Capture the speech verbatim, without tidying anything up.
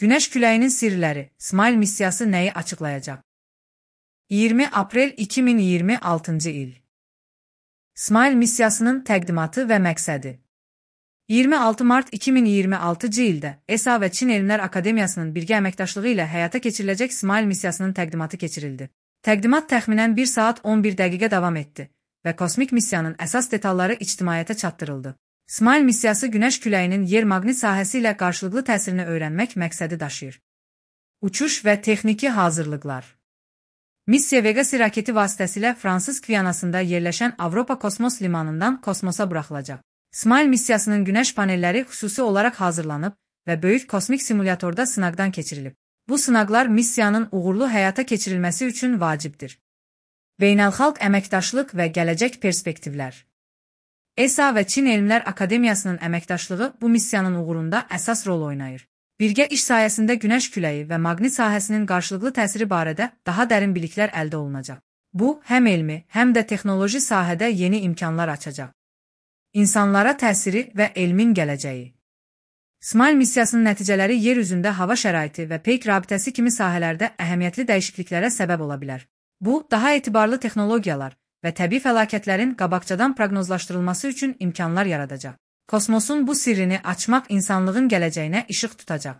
Günəş küləyinin sirləri, Smile missiyası nəyi açıqlayacaq? iyirmi aprel iki min iyirmi altıncı il. Smile missiyasının təqdimatı və məqsədi. iyirmi altı mart iki min iyirmi altıncı ildə E S A və Çin Elmlər Akademiyasının birgə əməkdaşlığı ilə həyata keçiriləcək Smile missiyasının təqdimatı keçirildi. Təqdimat təxminən bir saat on bir dəqiqə davam etdi və kosmik missiyanın əsas detalları ictimaiyyətə çatdırıldı. Smile missiyası Günəş küləyinin yer-maqnit sahəsi ilə qarşılıqlı təsirini öyrənmək məqsədi daşıyır. Uçuş və texniki hazırlıqlar. Missiya Vega-C raketi vasitəsilə Fransız Gvianasında yerləşən Avropa kosmos limanından kosmosa buraxılacaq. Smile missiyasının günəş panelləri xüsusi olaraq hazırlanıb və böyük kosmik simulyatorda sınaqdan keçirilib. Bu sınaqlar missiyanın uğurlu həyata keçirilməsi üçün vacibdir. Beynəlxalq əməkdaşlıq və gələcək perspektivlər. E S A və Çin Elmlər Akademiyasının əməkdaşlığı bu missiyanın uğurunda əsas rol oynayır. Birgə iş sayəsində günəş küləyi və maqnit sahəsinin qarşılıqlı təsiri barədə daha dərin biliklər əldə olunacaq. Bu, həm elmi, həm də texnoloji sahədə yeni imkanlar açacaq. İnsanlara təsiri və elmin gələcəyi. Smile missiyasının nəticələri yer üzündə hava şəraiti və peyk rabitəsi kimi sahələrdə əhəmiyyətli dəyişikliklərə səbəb ola bilər. Bu, daha etibarlı texnologiyalar və təbii fəlakətlərin qabaqcadan proqnozlaşdırılması üçün imkanlar yaradacaq. Kosmosun bu sirrini açmaq insanlığın gələcəyinə işıq tutacaq.